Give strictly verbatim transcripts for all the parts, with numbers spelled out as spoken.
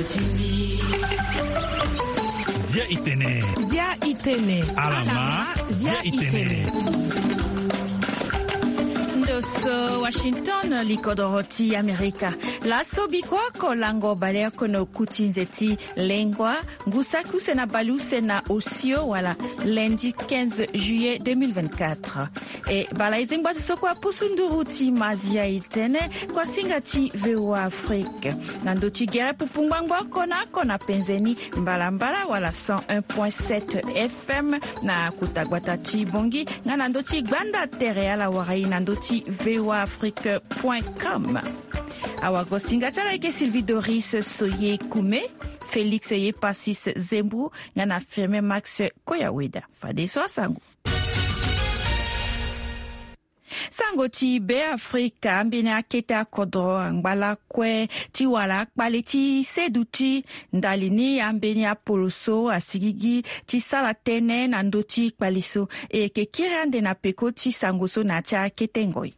Zia itene. Zia itene. Alama. Zia itene. Ndo so Washington, likodoro ti Amerika. Laso biko oko lango baleoko na okuti nzeti lengua, ngu saki use na baleuse na osio wala lundi quinze juillet deux mille vingt-quatre. E bala ezengba so so kua pusu nduru ti mazia itene kua singa ti V O A Afrique. Na ndo ti gere pupu ngbangbo oko na oko na penzeni mbalambala wala cent un point sept F M na kota gbata ti Bongi, nga na ndo ti gbanda tere ala wara e na ndo ti V O A Afrique point com. Awagosinga ti ala eke Sylvie Doris Soye Kume, Félix Yepasis Zembou, nga na Firmin Max Koyaweda. Fadeso asango. Sango ti Be Afrika, ambeni akete akodro angba lakue ti wala akpale ti seduti ndali ni ambeni apolo so asigigi ti sala tënë na ndö ti kpale so. E yeke kiri ande na peko ti sango so na ya ti akete ngoi.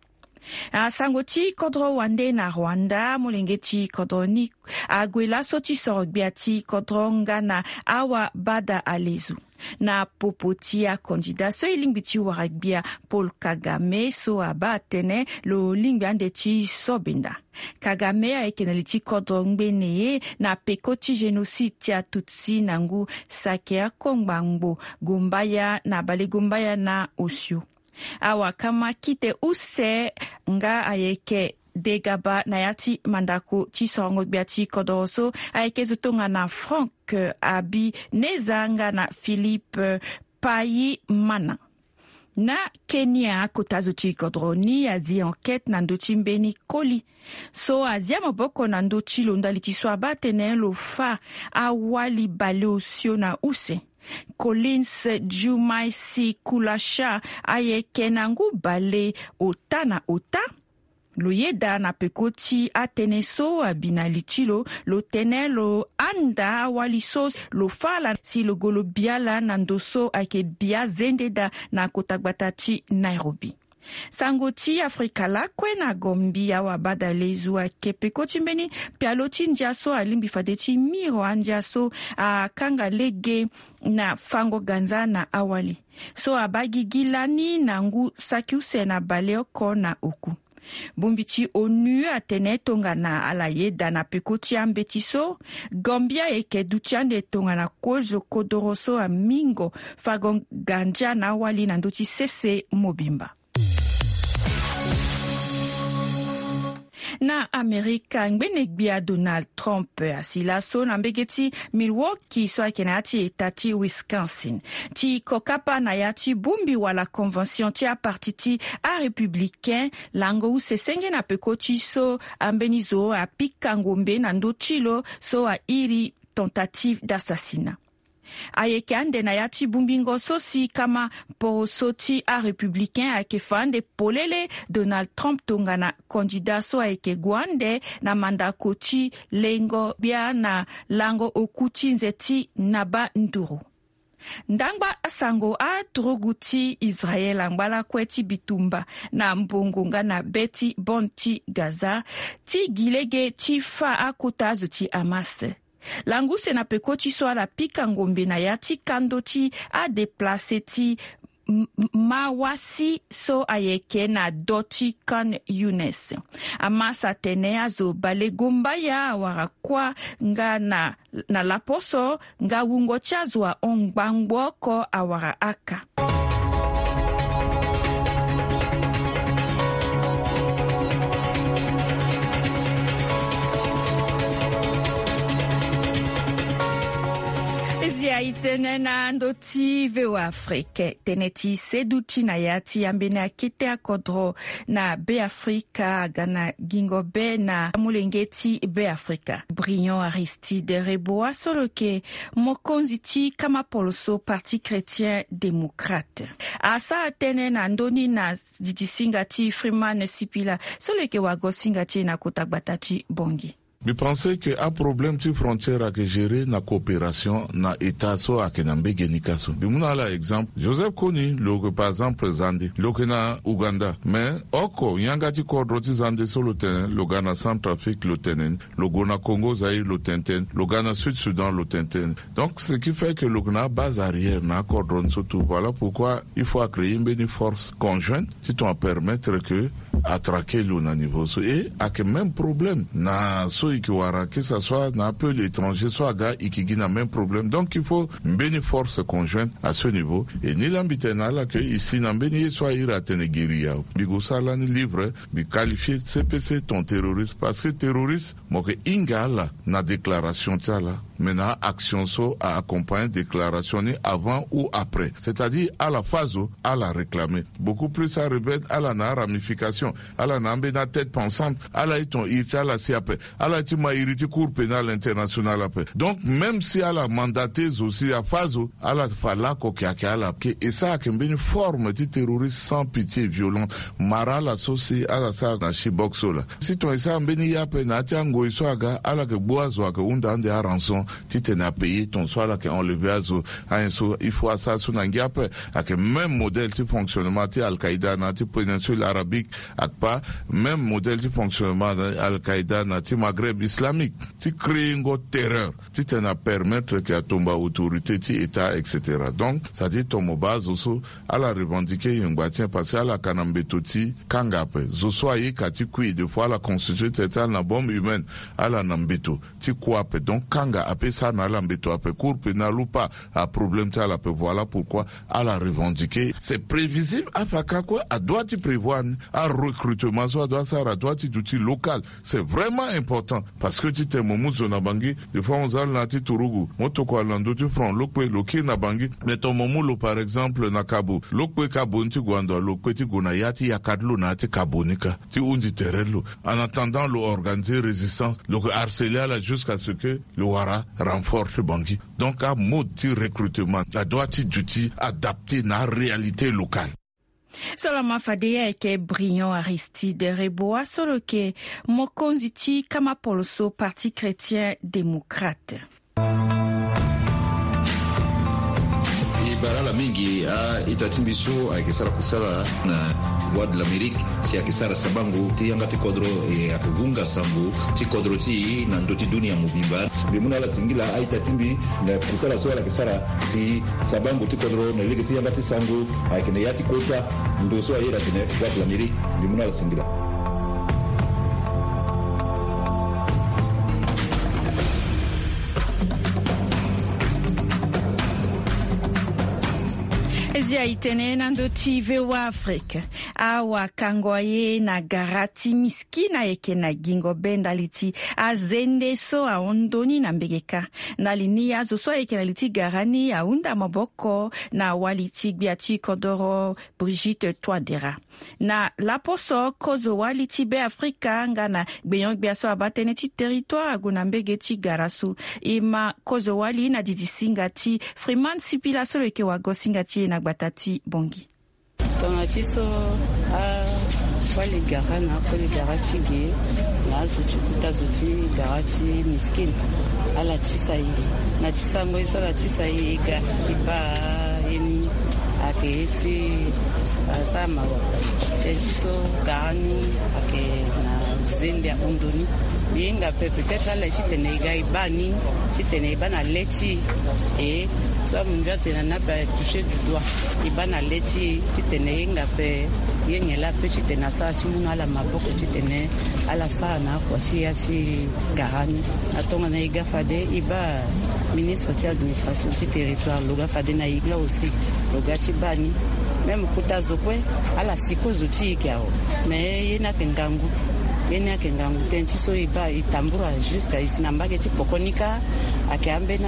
Asango ti kodro wande na Rwanda, molenge ti kodro ni ague laso ti soro gbia ti kodro nga na awa bada alezu. Na popo ti akandida so e lingbi ti wara gbia Paul Kagame so abaa atene lo lingbi ande ti sobenda. Kagame ayeke na li ti kodro ngbene ye na peko ti génocide ti Atutsi na ngu saki akongba ngbo gombaya na bale gombaya na osio. Awakama kite use nga ayeke degaba na ya ti mandako ti sorongo gbia ti kodoro so ayeke zo tongana Franck Habineza nga na Philippe Payimana. Na Kenya, akota zo ti kodoro ni azi enquête na ndö ti mbeni koli so azia maboko na ndö ti lo ndali ti so abaa atene lo fâ awali baleosio na use. Collins Jumaisi Kulasha ayeke na ngu bale ota na ota. Lo yeda na peko ti atënë so abi na li ti lo, lo tene lo handa awali so lo fâ ala si lo gue lo bi ala na ndo so ayeke bia zende daa na kota gbata ti Nairobi. Sango ti Afrika lakue na Gambie, awa bada lezu ayeke peko ti mbeni pialo ti ndia so alingbi fade ti miro andia so akanga lege na fango ganza na awali so abaa gigi lani na ngu saki use na baleoko na oku. Bongbi ti onu atene tongana ala yeda na peko ti ambeti so, Gambie ayeke duti ande tongana kozo kodoro so amingo fango gandia na awali na ndö ti sese mobimba. Na Amerika, ngbene gbia Donald Trump asi laso na mbege ti Milwaukee so ayeke na ya ti eta ti Wisconsin ti kokapa na ya ti bongbi wala convention ti aparti ti arépublicain lango use senge na peko ti so ambeni zo apika ngombe na ndö ti lo so airi tentative d'assassinat. Ayeke ande na ya ti bongbingo so si kama poroso ti arépublicain ayeke fa ande polele Donald Trump tongana candidat so ayeke gue ande na mandako ti lengo gbia na lango oku ti nze ti naba nduru. Ndangba asango, aturugu ti Israel angba lakue ti bitumba na mbongo nga na be ti bande ti Gaza ti gi lege ti fâ akota azo ti Hamas. Lango use na peko ti so ala pika ngombe na ya ti kando ti adeplace ti M-, Mawasi so ayeke na do ti Khan Younis. Hamas atene azo balegombaya awara kuâ nga na, na laposo nga wungo ti azo ahon ngbangbo oko awara aka. Ezi aye tënë na ndö ti V O A Afrique, tënë ti seduti na ya ti ambeni akete akodro na Be Afrika aga na gingo be na molenge ti Be Afrika. Brillant Aristide Reboa so lo yeke mokonzi ti kama poloso Parti Chrétien Démocrate asara tënë na ndö ni na didi singa ti Freeman Sipila so lo yeke wago singa ti e na kota gbata ti Bongi. Mbi pense ke aproblème ti frontière ayeke gérer na coopération na état so ayeke na mbege ni ka so. Mbi mu na ala exemple, Joseph Kony lo yeke par exemple Zande, lo yeke na Ouganda, mais oko yanga ti kodro ti Zande so lo tene, lo ga na Centrafrique lo tene ni, lo gue na Congo Zaïre lo tene tene, lo ga na Sud Soudan lo tene tene. Donc ce qui fait que lo yeke na abase arrière na akodro ni so tout. Voilà pourquoi il faut acréer mbeni force conjointe ti tongana permettre que atraquer lo na niveau so. Et ayeke même problème na so e yeke wara, que ça soit na apeuple étranger so aga, e yeke gi na même problème. Donc il faut mbeni force conjointe à ce niveau. Et ni laa mbi tene na ala ke e si na mbeni ye so a iri atene guérilla. Mbi gue so ala ni livre, mbi qualifier C P C ton terroriste, parce que terroriste mo yeke hinga ala na déclaration ti ala, mais na action so a accompagner déclaration ni avant ou après. C'est-à-dire ala fâ zo, ala réclamer. Beaucoup plus arebelle, ala na aramification, ala na ambeni atête pensante, ala ye ton iri ti ala si ape, ala ye ti ma iri ti Cour pénale internationale ape. Donc même si ala mandater zo si afâ zo, ala fa lako ke ayeke ala ke. Et ça ayeke mbeni forme ti terroriste sans pitié et violence. Mara ala so si ala sara na Chibok so laa. Si ton e sara mbeni ye ape na ya ti angoi so aga, ala yeke gbu azo ayeke hunda ande arançon titene apayer ton so ala yeke enlever azo. Anyen so il faut asara so na ngia ape. Ayeke même modèle ti fonctionnement ti Al-Qaïda na ya ti péninsule arabique, akpa même modèle ti fonctionnement na Al-Qaïda na ya ti Maghreb islamique, ti créer ngo terreur titene apermettre ke atomba autorité ti état, et cetera. Donc c'est-à-dire ton mo baa azo so ala revendiquer yengba ti nyen, parce que ala ka na mbeto ti kanga ape. Zo so aye ka ti kui, des fois ala constituer tene ti ala na bombe humaine, ala na mbeto ti kua ape. Donc kanga ape sara na ala mbeto ape. Cour pénale ou pas, aproblème ti ala ape. Voilà pourquoi ala revendiquer. C'est prévisible, afa ka kue adoit ti prévoir ni. Arecrutement so adoit sara adoit ti duti local. C'est vraiment important. Parce que titene mo mu zo na Bangui, des fois mo za lo na ya ti Turugu, mo tokua lo na ndö ti front, lo kpe lo kiri na Bangui. Mais ton mo mu lo par exemple na Kabo, lo kpe Kabo ni ti gue ando, lo kpe ti gue na ya ti yaka ti lo na ya ti Kabo ni ka, ti hundi tere ti lo. En attendant lo organiser résistance, lo yeke harceler ala jusqu'à ce que lo wara renfort ti Bangui. Donc amode ti recrutement adoit ti duti adapté na aréalité locale. So lama fade ye ayeke Briand Aristide Reboa so lo yeke mokonzi ti kama poloso Parti Chrétien Démocrate. E bara ala mingi a-ita ti mbi so ayeke sara kusala na Voix de l'Amérique si ayeke sara sabango ti yanga ti kodro, e ayeke vunga sango ti kodro ti e na ndö ti dunia mobimba. Mbi mu na ala singila a-ita ti mbi na kusala so ala yeke sara si sabango ti kodro na lege ti yanga ti sango ayeke na ya ti kota ndo so a iri atene Voix de l'Amérique. Mbi mu na ala singila. Zia e tene na ndö ti V O A Afrique. Awakango aye na gara ti miskina ayeke na gingo be ndali ti azende so ahon ndoni na mbege kâ. Ndali ni azo so ayeke na li ti gara ni ahunda maboko na wali ti gbia ti kodoro Brigitte Touadéra. Na laposo kozo wali ti Beafrika nga na gbenyo-gbia so abaa tënë ti territoire ague na mbege ti gara so. E ma kozo wali na didi singa ti Freeman Sipila so lo yeke wago singa ti e na gbata ti Bangui. Tongana ti so awali gara na akoli gara ti ge na azo ti kuta zo ti gara ti miskine, ala tisa e na ti sango ye so ala tisa e, e ga e baa ye ni. Ayeke ye ti asara mawa. Tënë ti so gara ni ayeke na zende ahon ndoni. Mbi hinga ape peut-être ala ye titene e ga e baa ni, titene e baa na le ti e. E so amunzu atene na ape toucher du doigt, e baa na le ti e titene e hinga ape. Ye nyen laa ape titene asara ti mu na ala maboko titene ala sara na akua ti ya ti gara ni. Na tongana e ga fade e baa ministre ti administration ti territoire, lo ga fade na e ga aussi, lo ga ti baa ni. Même kota zo kue ala si kozo ti e yeke awe. Mais ye ni ayeke ngangu. Ye ni ayeke ngangu. Tënë ti so e baa e tambura jusqu'à e si na mbage ti poko ni kâ. Ayeke ambeni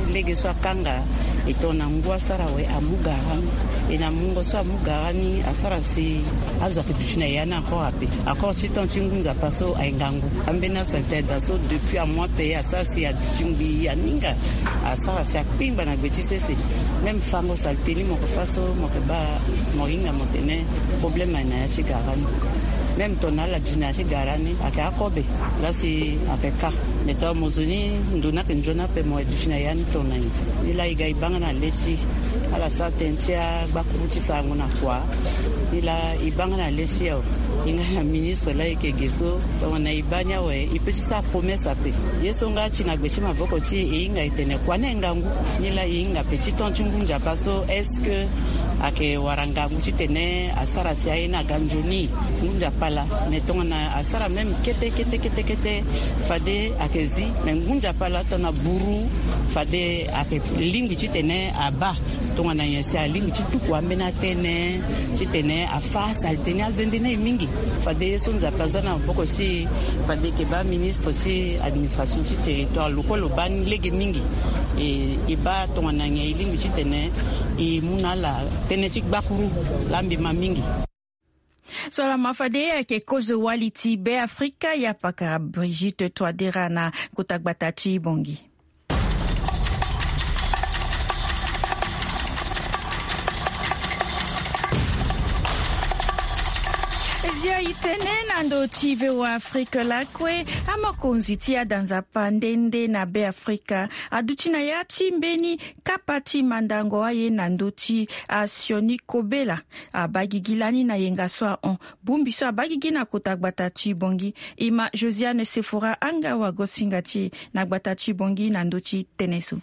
alege so akanga e tongana ngu asara awe amu gara ni. E na mungo so amu gara ni asara si azo ayeke duti na e ya ni encore ape. Encore ti temps ti ngu nzapa so aye ngangu. Ambeni asalté daa so depuis amu ape asara si aduti ngbii aninga. Asara si akpingba na gbe ti sese. Même fango salté ni mo yeke fâ so mo yeke baa, mo hinga mo tene problème aye na ya ti gara ni. Même tongana ala dunia ti gara ni ayeke akobe. Lasi ayeke ka. Mais tongana mo zo ni ndo ni ayeke nzoni ape mo ye duti na ya ni tongana nyen? Ni laa e ga e baa nga na le ti ala sara tënë ti agbakuru ti sarango na kua. Ni laa e baa nga na le ti awe. E nga na ministre laa e yeke ge so tongana e baa ni awe e peut ti sara promesse ape. Ye so nga ti na gbe ti maboko ti e e hinga e tene kua ni ngangu. Ni laa e hinga ape ti temps ti ngu nzapa so est-ce que ayeke wara ngangu titene asara si aye ni aga nzoni? Ngu nzapa laa. Mais tongana asara même kete kete kete kete fade ayeke zi. Mais ngu nzapa laa tongana buru fade ayeke lingbi titene abaa tongana nyen si alingbi ti tuku ambeni atënë titene afa salite ni azende ni mingi. Fade ye so nzapa aza na maboko ti e fade e yeke baa ministre ti administration ti territoire lo kue lo baa ni lege mingi. E e baa tongana nyen e lingbi titene e mu na ala tënë ti gbakuru laa mbi ma mingi. So ala ma fade e yeke kozo wali ti Be Afrika, ya pakara Brigitte Touadera na kota gbata ti Bongi. Zia e tene na ndö ti V O A Afrique lakue, amokonzi ti adanzapa nde nde na Be Afrika aduti na ya ti mbeni kapa ti mandango aye na ndö ti asioni kobela. Abaa gigi lani na yenga so ahon. Bongbi so abaa gigi na kota gbata ti Bongi. E ma Josiane Sephora Anga wagosinga ti e na gbata ti Bongi na ndö ti tënë so.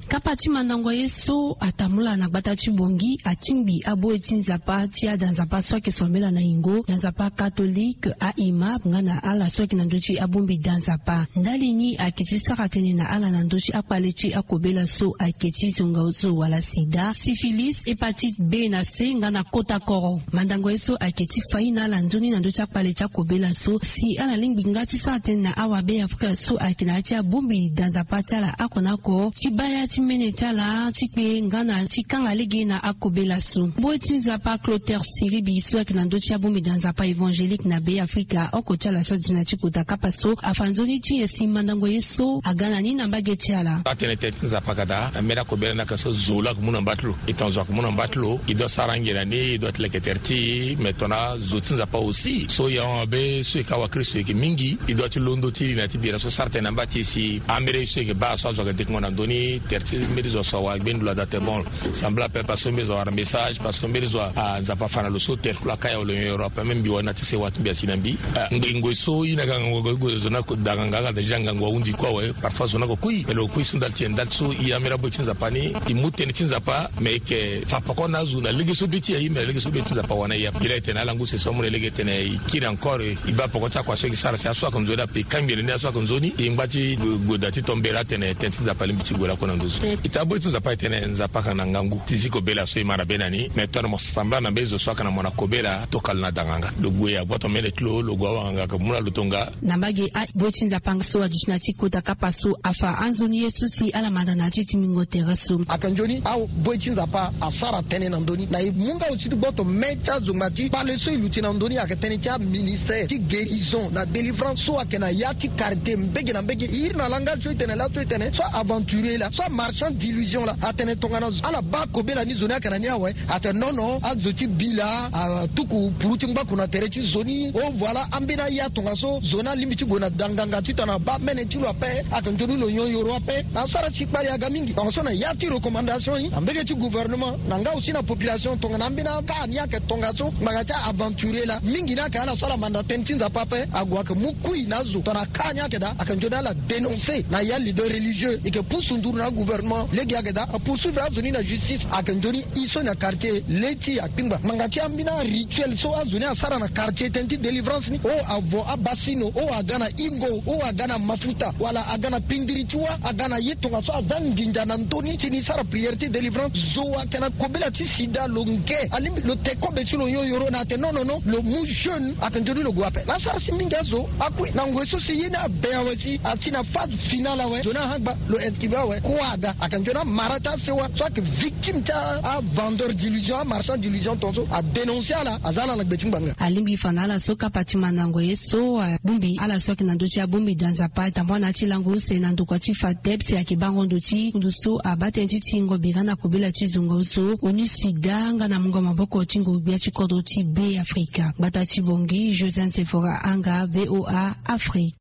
Kapa ti mandango ye so atambula na gbata ti Bongi atingbi aboye ti nzapa ti adanzapa so ayeke sambela na yingo, danzapa katolike, a-imam nga na ala so ayeke na ndö ti abongbi danzapa. Ndali ni ayeke ti sara tënë na ala na ndö ti akpale ti akobela so ayeke ti zongaozo wala sida, syphilis, hépatite B na C nga na kota koro. Mandango ye so ayeke ti fa ye na ala nzoni na ndö ti akpale ti akobela so si ala lingbi nga ti sara tënë na awabe Afrika so ayeke na ya ti abongbi danzapa ti ala oko na oko ti baa ya ti mene ti ala ti kpe nga na ti kanga lege na akobela so. Boy ti nzapa Clotaire Siribi so ayeke na ndö ti abongbi danzapa évangélique na Be Afrika oko ti ala so aduti na ti kota kapa so afa nzoni ti nyen si mandango ye so aga na ni na mbage ti ala. Atene tënë ti nzapa ka daa, ambeni akobela ni ayeke so zo laa ayeke mu na mba ti lo. E tongana zo ayeke mu na mba ti lo, e doit sara ange na ni, e doit leke tere ti e. Mais tongana zo ti nzapa aussi so e ahon abe so e ka wakristo e yeke mingi, e doit ti londo ti li na ti bira so sara tënë na mba ti e si amere so e yeke baa so azo ayeke dekungo na ndö ni, tere ti mbeni zo so awa gbeni lo ada te bon. Sambela ape parce que mbeni zo awara message, parce que mbeni zo a nzapa afa na lo so tere ti lo aka ya wala lo nyon yoro ape. Même mbi wani na ti sewa ti mbi asi na mbi. Ngoi ngoi so i na ga ngangu ague zo na ko da nganga aga da ja ngangu ahunzi kue awe. Parfois zo na ko kui, mais lo kui so ndali ti e ndali so i amere aboy ti nzapa ni, i mu tënë ti nzapa. Mais e yeke fa poko na azo na lege so be ti e aye, mais na lege so be ti nzapa awa na e ape. Mbi la e tene ala ngu sese amu na e lege e tene e kiri encore, e baa poko ti akua so e yeke sara si aso ayeke nzoni ape, e kangbi na ni aso ayeke nzoni. E ngba ti gue, gue da ti tombela atene tënë ti nzapa alingbi ti gue lakue na nduzu. E taa boy ti nzapa e tene nzapa ayeke na ngangu ti zi kobela so e ma na be na ni. Mais tongana mo sambela na mbeni zo so ayeke na mo na kobela, tokalo na da nganga. Lo gue agboto mene ti lo, lo gue awanganga ayeke mu na lo tonga. Na mbage a boy ti nzapa so aduti na ti kota kapa so afa anzoni ye so si ala manda na ya ti tingbingo tere so. Ayeke nzoni aboy ti nzapa asara tënë na ndö ni na e mu nga aussi ti gboto me ti azonga ti kpale so e luti na ndö ni ayeke tënë ti aministère ti guérison na délivrance so ayeke na ya ti karité mbege na mbege. E iri na langage so e tene laso e tene so aventurier laa, so amarchand d'illusion laa, atene tongana ala baa kobela ni zo ni ayeke na ni awe. Atene non non, azo ti bi laa atuku puru ti ngbaku na tere ti zo ni. Oh voilà, ambeni aya tongaso zo ni alingbi ti gue na da nganga titene abaa mene ti lo ape. Ayeke nzoni lo nyon yoro ape. Asara si kpale aga mingi. Tongaso na ya ti recommandation ni na mbege ti gouvernement na nga aussi na population, tongana ambeni aka ni ayeke tongaso ngbanga ti aventurier laa mingi ni ayeke ala so ala manda tënë ti nzapa ape. Ague ayeke mu kui na azo tongana aka ni ayeke daa. Ayeke nzoni ala dénoncer na ya leader religieux. E yeke pusu nduru na agouvernement lege ayeke daa apoursuivre azo ni na justice. Ayeke nzoni e so na quartier le ti akpingba ngbanga ti ambeni arituel so azo ni asara na quartier tënë ti délivrance ni. Oh avo abasino, oh aga na ingo, oh aga na mafuta wala aga na pindiri ti wâ, aga na ye tongaso aza nginza na ndö ni si ni sara prière ti délivrance. Zo ayeke na kobela ti sida lo nge alingbi lo te kobe ti lo nyon yoro na atene non non non, lo mu jeûne. Ayeke nzoni lo gue ape. Laa asara si mingi azo akui na ngoi so si ye ni abe awe si asi na phase finale awe. Zo ni ahagba lo inscrire awe kua. Ake nzoni amara ti asewa so ake victime ti avendeur d'illusion, amarchand d'illusion tonso adénoncer ala, aza ala na gbe ti ngbanga. Alingbi fa na ala so kapa ti mandango ye so abongbi ala so ayeke na ndö ti abongbi da nzapa tambua na ya ti lango use na ndokua ti FADEB si ayeke bango ndo ti kundu so abaa tënë ti tingo bira na kobela ti zungo so onu sida nga na mungo maboko ti ngu gbia ti kodro ti Be Afrika. Gbata ti Bongi, Josiane Sephora Anga, VOA Afrique.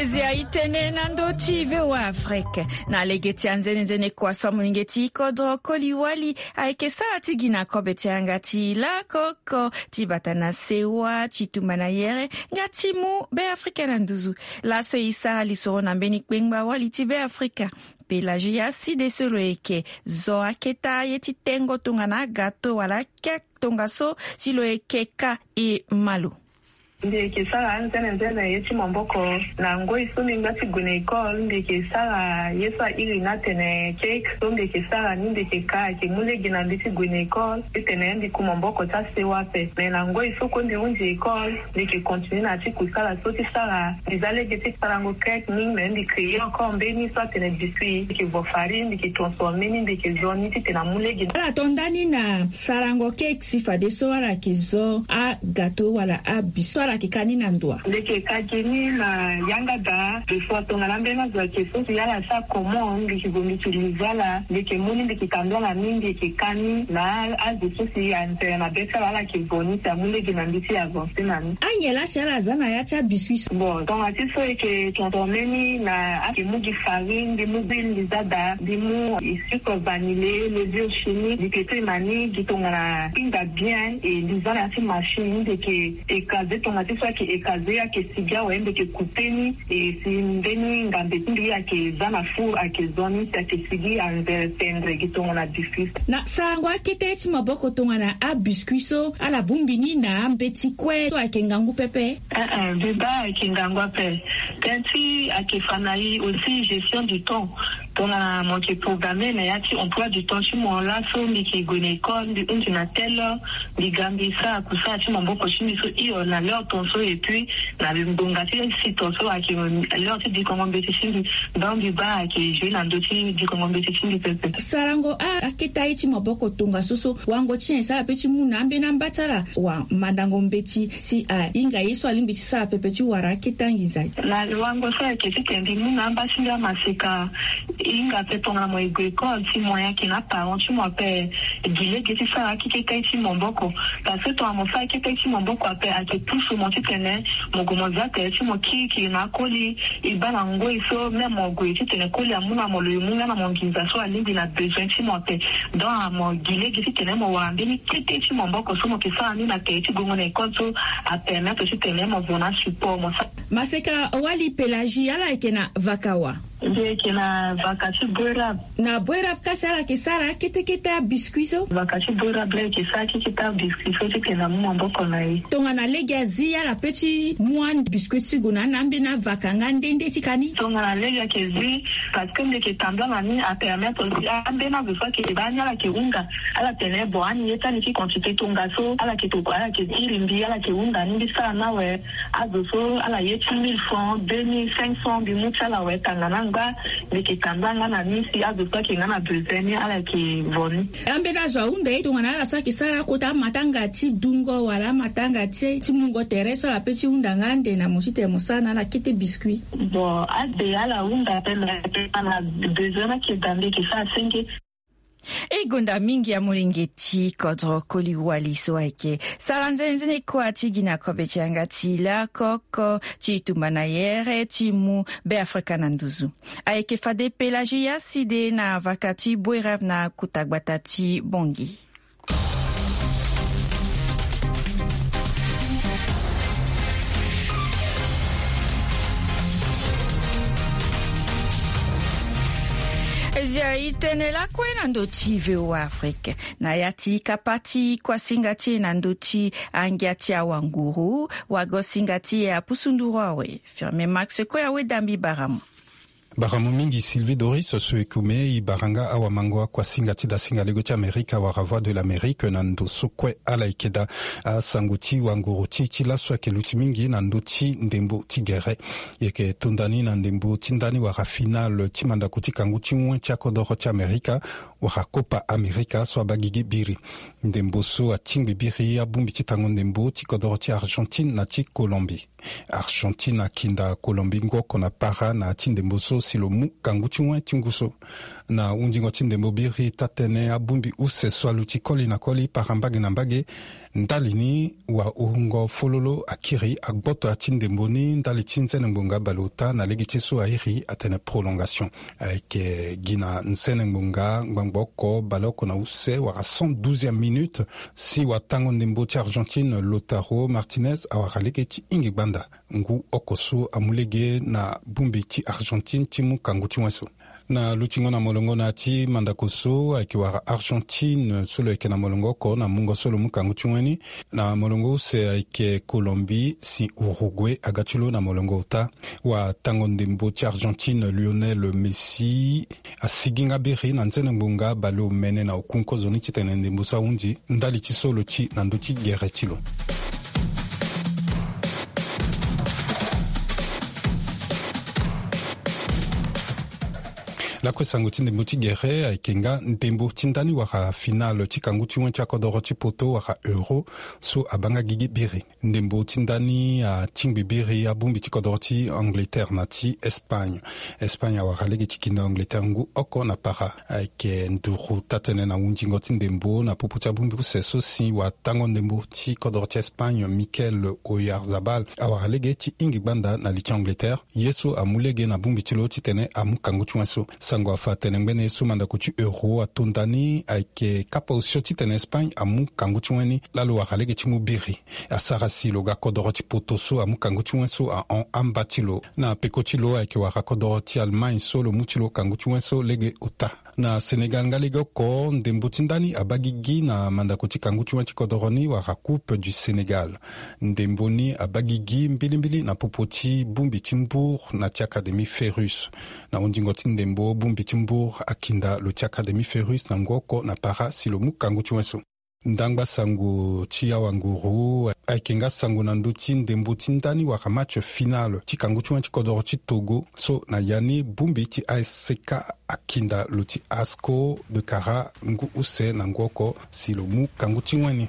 Zia itene na ndö ti VOA Afrique. Na lege ti anzenenzene kua so amolenge ti kodro koli wali ayeke sara ti gi na kobe ti yanga ti lakoko ti bata na sewa ti tumba na yere nga ti mu Be Afrika na nduzu. Laso e sara lisoro na mbeni kpengba wali ti Be Afrika, Pelagie Aside so lo yeke zo aketa ye ti tengo tongana agato wala kek tongaso si lo yeke ka e ma lo. Mbi yeke sara anzenenzene ye ti maboko na ngoi so mbi ngba ti gue na école. Mbi yeke sara ye so airi ni atene cake so mbi yeke sara ni mbi yeke ka ayeke mu lege na mbi ti gue na école titene mbi ku maboko ti asewa ape. Me na ngoi so kue mbi hunzi école, mbi yeke continue na ya ti kusala so ti sara. Mbi za lege ti sarango cake ni, me mbi créer encore mbeni so atene biscuit. Mbi yeke vo farine, mbi yeke transformer ni, mbi yeke zo ni titene amu lege. Ala to ndani na sarango cake si fadeso ala yeke zo agato wala abiscuit so ala yeke ka ni na ndo wa? Mbi yeke ka gi ni na yanga daa. Des fois tongana ambeni azo ayeke so si ala sara comment, mbi yeke gue mbi yeke liza ala, mbi yeke mu ni, mbi yeke tambula na ni, mbi yeke ka ni na azo so si antere na be ti ala, ala yeke vo ni si amu lege na mbi ti avancer na ni. Anyen laa si ala za na ya ti abiscuit so? Bon, tongana ti so e yeke transformer ni na, ayeke mu gi farine, mbi mu huile, mbi za daa, mbi mu sucre vanillé, levure chimique, mbi yeke tene na ni gi tongana hinga bien, e mbi za na ya ti machine, mbi yeke écraser, tongana ti so ayeke écraser ayeke sigi awe, mbi yeke couper ni, e si mbeni ngambe ti mbi ayeke za na four ayeke zo ni si ayeke sigi anzere tendre gi tongana biscuit. Na sarango akete ye ti maboko tongana abiscuit so, ala bongbi ni na ambeti kue so ayeke ngangu pepe? Eh, eh, mbi baa ayeke ngangu ape. Tënë ti ayeke fa na e aussi gestion du temps. Tongana mo yeke programmer na ya ti emploi du temps ti mo, laso mbi yeke gue na école, mbi hunzi na telle heure, mbi ga mbi sara kusala ti maboko ti mbi so hio na l'heure tonso, et puis na ngonga ti six tonso ayeke l'heure ti dikongo mbeti ti mbi. Donc mbi baa ayeke jouer na ndö ti dikongo mbeti ti mbi pepe. Sarango a, akete aye ti maboko tongaso so, wango ti nyen e sara pe ti mu na ambeni amba ti ala wa mandango mbeti si ahinga ye so alingbi ti sara pepe ti wara akete anginza? Na wango so ayeke titene mbi mu na amba ti mbi amaseka. Hinga ape tongana mo e gue école, si mo ayeke na aparent ti mo ape, gi lege ti sara akete ti maboko. Parce que tongana mo sara akete ti maboko ape, ayeke pusu mo titene mo gue mo za tere ti mo kirikiri na akoli. E baa na ngoi so même mo gue titene koli amu na mo lo, e mu nga na mo nginza so alingbi na besoin ti mo ape. Donc mo gi lege titene mo wara mbeni kete ti maboko so mo yeke sara ni na tere ti gongo na école so apermettre titene mo vo na support mo sara. Maseka wali Pelagie, ala yeke na vaka wa? Mbi yeke na vaka ti Boerab. Na Boerab kasi ala yeke sara akete kete abiscuit so? Vaka ti Boerab la yeke sara akete kete abiscuit so titene amu maboko na e. Tongana lege azi ala pe ti mu abiscuit ti gue na ni na ambeni avaka nga nde nde ti ka ni? Tongana lege ayeke zi, parce que mbi yeke tambula na ni apermettre aussi ambeni azo so ayeke baa ni ala yeke hunda. Ala tene bon, ani ye ti ani ti quantité tongaso, ala yeke tokua, ala yeke iri mbi, ala yeke hunda ni, mbi sara ni awe. Azo so ala ye ti mille francs, deux mille cinq cents, mbi mu ti ala awe tanga na angba. Mbi yeke tambula nga na ni si azo so ayeke nga na besoin ni ala yeke vo ni. Ambeni azo ahunda ye tongana ala so ayeke sara akota amatanga ti dungo wala amatanga ti, ti mungo tere so ala pe ti hunda nga ande na mo titene mo sara na ala kete biscuit? Bon, ade ala hunda ape, me na besoin ni ayeke daa, mbi yeke sara senge. E gonda mingi amolenge ti kodro koli wali so ayeke sara nzene nzene kua ti gi na kobe ti yanga ti lakoko ti tumba na yere ti mu Be Afrika na nduzu. Ayeke fade Pelagie Aside na vaka ti Boerab na kota gbata ti Bongi. Zia itene lakue na ndö ti VOA Afrique. Na ya ti kapa ti kuasinga ti e na ndö ti angia ti awanguru, wagosinga ti e apusu nduru awe. Firme Max Koya weda mbi bara mo. Baramu mingi Sylvie Doris so ekume e bara nga awamango akuasinga ti dasinga lego ti Amerika wala Voix de l'Amérique na ndo so kue ala yeke daa. Asango ti wanguru ti ti laso ayeke luti mingi na ndö ti ndembo ti gere. E yeke to nda ni na ndembo ti ndani wala finale ti mandako ti kangu ti wen ti akodoro ti Amerika wala Copa America so abaa gigi biri. Ndembo so atingbi biri abongbi ti tango ndembo ti kodoro ti Argentine na ti Colombie. Argentine akinda Colombie ngu oko na para na ya ti ndembo so si lo mu kangu ti wen ti ngu so. Na hundingo ti ndembo biri taa-tënë abongbi use so aluti koli na koli para mbage na mbage. Ndali ni wahungo fololo akiri agboto ya ti ndembo ni ndali ti nzene ngbonga baleota na lege ti so airi atene prolongation. Ayeke gi na nzene ngbonga ngbangbo oko baleoko na use wala cent douzième minute si watango ndembo ti Argentine Lautaro Martinez awara lege ti hingi gbanda ngu oko so amu lege na bongbi ti Argentine ti mu kangu ti wen so. Na lutingo na molongo na ya ti mandako so ayeke wara Argentine so lo yeke na molongo oko na mungo so lo mu kangu ti wen ni. Na molongo use ayeke Colombie si Uruguay aga ti lo na molongo ota. Watango ndembo ti Argentine Lionel Messi asigi nga biri na nzene ngbonga baleomene na oku nkozoni titene ndembo so ahundi ndali ti so lo ti na ndö ti gere ti lo. Lakue sango ti ndembo ti gere ayeke nga ndembo ti ndani wala finale ti kangu ti wen ti akodoro ti poto wala Euro so abaa nga gigi biri. Ndembo ti ndani atingbi biri abongbi ti kodoro ti Angleterre na ti Espagne. Espagne awara lege ti kinda Angleterre ngu oko na para. Ayeke nduru taa-tënë na hundingo ti ndembo na popo ti abongbi use so si watango ndembo ti kodoro ti Espagne Mikel Oyarzabal awara lege ti hingi gbanda na li ti Angleterre. Ye so amu lege na bongbi ti lo titene amu kangu ti wen so. Sango afa atene ngbene ye so mandako ti Euro ato nda ni ayeke kapa osio titene Espagne amu kangu ti wen ni laa lo wara lege ti mu biri. Asara si lo ga kodoro ti poto so amu kangu ti wen so ahon amba ti lo. Na peko ti lo ayeke wara kodoro ti Allemagne so lo mu ti lo kangu ti wen so lege ota. Na Sénégal nga lege oko ndembo ti ndani abaa gigi na mandako ti kangu ti wen ti kodoro ni wala Coupe du Sénégal. Ndembo ni abaa gigi mbilimbili na popo ti bongbi ti Mbour na ti Académie Ferrus. Na hundingo ti ndembo bongbi ti Mbour akinda lo ti Académie Ferrus na ngu oko na para si lo mu kangu ti wen so. Ndangba sango ti awanguru ayeke nga sango na ndö ti ndembo ti ndani wala match final ti kangu ti wen ti kodoro ti Togo so na ya ni bongbi ti A S C K akinda lo ti Asco de Kara ngu use na ngu oko si lo mu kangu ti wen ni.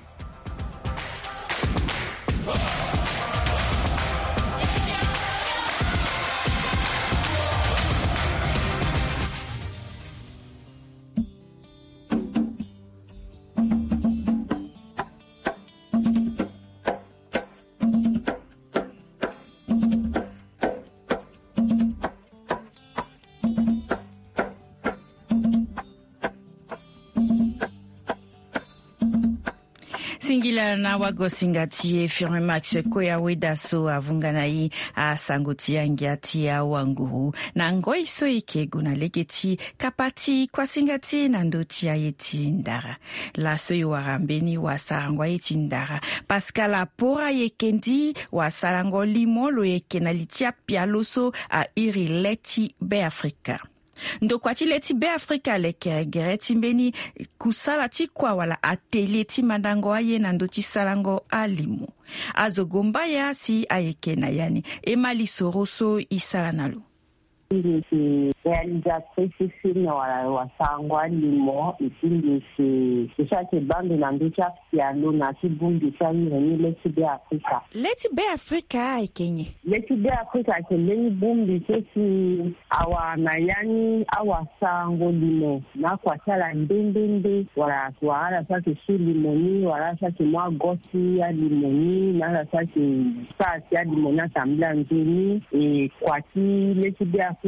Singila na wagosinga ti e Firme Max Koya Weda so avunga na e asango ti angia ti awanguru na ngoi so e yeke gue na lege ti kapa ti kuasinga ti e na ndö ti aye ti ndara. Laso e wara mbeni wasarango aye ti ndara Pascal Apora Yekendi, wasarango limo lo yeke na li ti apialo so airi le ti Beafrika. Ndokua ti le ti Beafrika lekere gere ti mbeni kusala ti kua wala atelier ti mandango aye na ndö ti sarango alimo. Azo gombaya si ayeke na ya ni. E ma lisoro so e sara na lo. Mbi si réalisatrice ti film wala wasarango alimo, et puis mbi si, mbi si ayeke baa mbi na ndö ti apialo na ti bongbi ti aire ni le ti Beafrika. Le ti Beafrika ayeke nyen? Le ti Beafrika ayeke mbeni bongbi so si awara na ya ni awasarango limo na akua ti ala nde nde nde, wala wala ala so ayeke su limo ni, wala ala so ayeke mu ago ti alimo ni, na ala so ayeke sara si alimo ni atambula nzoni. E kua ti le ti Beafrika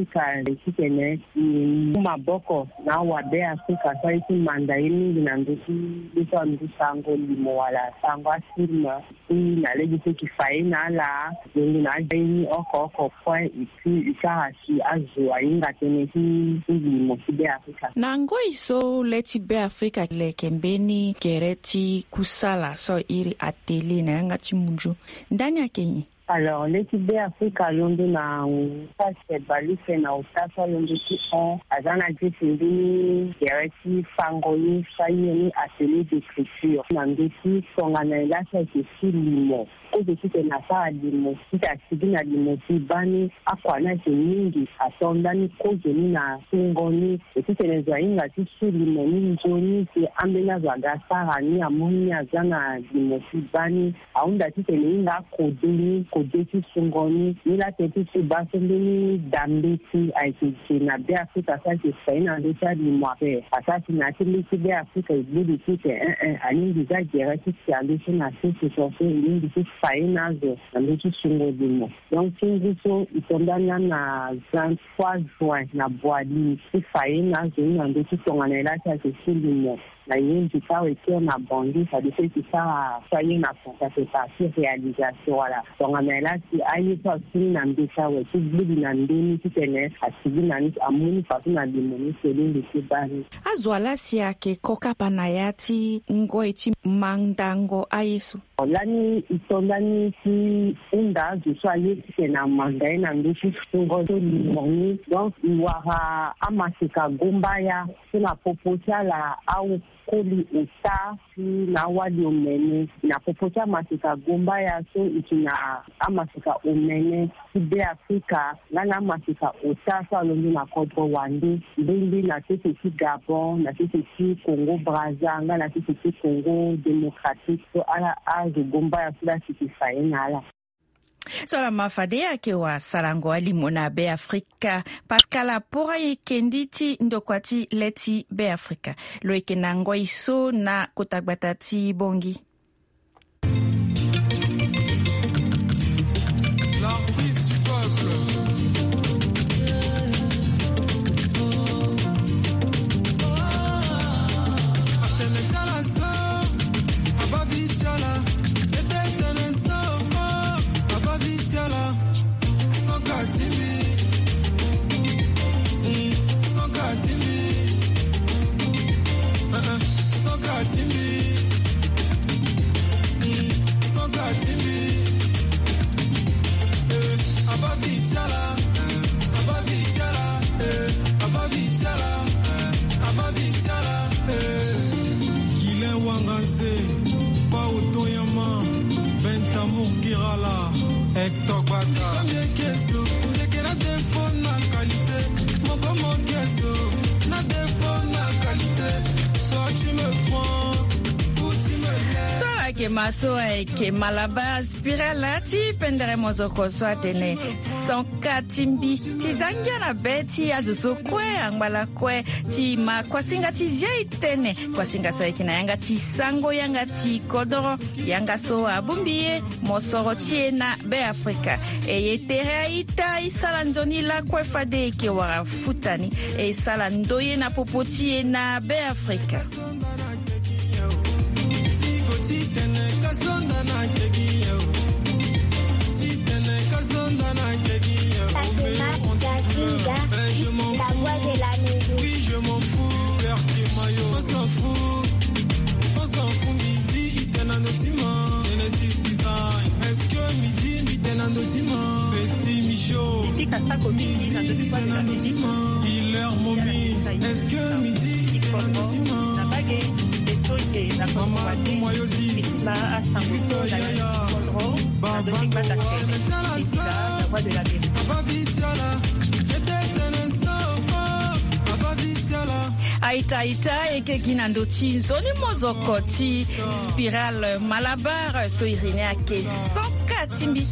titene e mu maboko na awabeafrika so aye ti manda ye mingi na ndö ti ye so andusango limo wala sango afilm. Ti na lege so e ke fa ye na ala, e ngu na aza ye ni oko oko kue, e puis e sara si azo ahinga tënë ti limo ti Beafrika. Na ngoi so le ti Beafrika leke mbeni gere ti kusala so airi atelier na yanga ti munzu, ndani ayeke nyen? Alors, lê ti Beafrika alondo na ngu ti ase baleuse na ota so alondo ti hon, aza na gisi mbeni gere ti fango ye so aye ni atelier d'écriture na ndö ti tongana e laa ti ayeke ti limo. Kozo titene asara limo, titene asigi na limo ti baa ni. Akua ni ayeke mingi, ato ndani kozo ni na sungo ni. E titene zo ahinga ti su limo ni nzoni si ambeni azo aga asara ni amu ni aza na limo ti baa ni. Ahunda titene e hinga akode ni, kode ti sungo ni. Ni laa tënë ti so e baa so mbeni da mbeti ayeke ge na Beafrika so ayeke fa ye na ndö ti alimo ape. Asara si na ya ti mbeti Beafrika e gbu li titene, eh, eh, alingbi za gere ti tia ndö so na sese so so e lingbi ti fa ye na azo na ndö ti sungo limo. Donc ti ngu so e to ndani na vingt-trois juin na Boali ti fa ye na azo ni na ndö ti tongana e laa ti ayeke su limo. Na ye mbi sara e kiri na Bangui, fade so e ti sara so aye na France, ayeke partie réalisation wala. Tongana e laa ti aye so asigi na mbeti awe ti gbu li na ndö ni titene asigi na ni, amu ni fadeso na limo ni so e lingbi ti baa ni. Azo ala si ayeke kokapa na ya ti ngoi ti mandango aye so. Lani e to ndani ti hunda azo so aye titene amanda ye na ndö ti sungo so limo ni. Donc e wara amaseka gombaya so na popo ti ala awu koli ota ti na awali omene. Na popo ti amaseka gombaya so e yeke na amaseka omene ti Beafrika nga na amaseka ota so alondo na kodro wande, mbeni na sese ti Gabon, na sese ti Congo Brazza nga na sese ti Congo Démocratique. So ala azo gombaya so laa si e fa ye na ala. So laa ma fade ayeke wara sarango alimo na Beafrika. Pascal Apora ayeke ndi ti ndokua ti le ti Beafrika. Lo yeke na ngoi so na kota gbata ti Bangui. L'artiste du peuple. Guilain Wanganse, Pao Toyama, Bentamour Kirala, Hector Baka. So ayeke ma so ayeke Malabar Spiral ti pendere mozoko so atene sanka ti mbi ti za ngia na be ti azo so kue angba lakue ti ma kuasinga ti zia e tene. Kuasinga so ayeke na yanga ti sango yanga ti kodoro, yanga so abongbi ye mosoro ti e na Beafrika. E ye tere a-ita e sara nzoni lakue fade e yeke wara futa ni. E sara ndoye na popo ti e na Beafrika. A-ita, a-ita, e yeke gi na ndö ti nzoni mozoko ti Spiral Malabar so iri ni ayeke sanka ti mbi.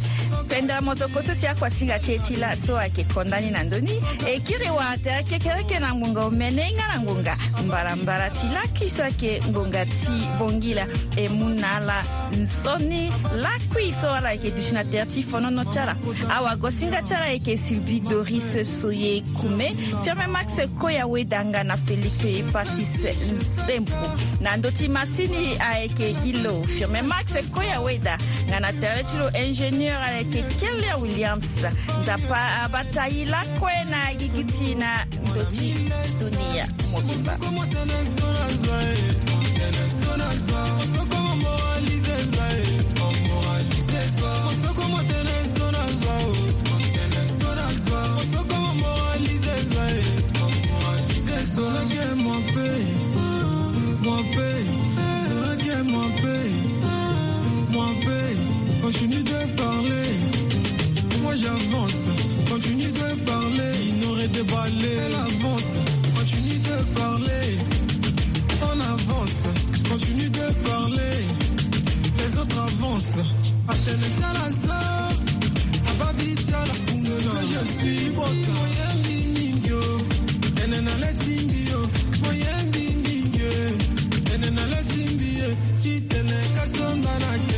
Pendere mozoko so si akuasinga ti e ti laso ayeke konda ni na ndö ni. E kiri wara tere kekereke na ngonga omene nga na ngonga mbarambara ti lakui so ayeke ngonga ti bongila. E mu na ala nzoni lakui so ala yeke duti na tere ti fonono ti ala. Awagosinga ti ala ayeke Sylvie Doris Soye Kume, Firme Max Koya Weda nga na Félix Epasis Nsempo. Na ndö ti masini ayeke gi lo Firme Max Koya Weda, nga na tere ti lo ingénieur ayeke Keller Williams. Nzapa abata e lakue na gigi ti e na ndö ti dunia mobimba. Continue de parler, moi j'avance. Continue de parler, il n'aurait déballé. Elle avance, continue de parler. On avance, continue de parler. Les autres avancent. Atene tiala sa, ababi tiala. Ce que je suis, moyen bimingio. Enena le timbio, moyen bimingio. Enena le timbio, titene kasonda na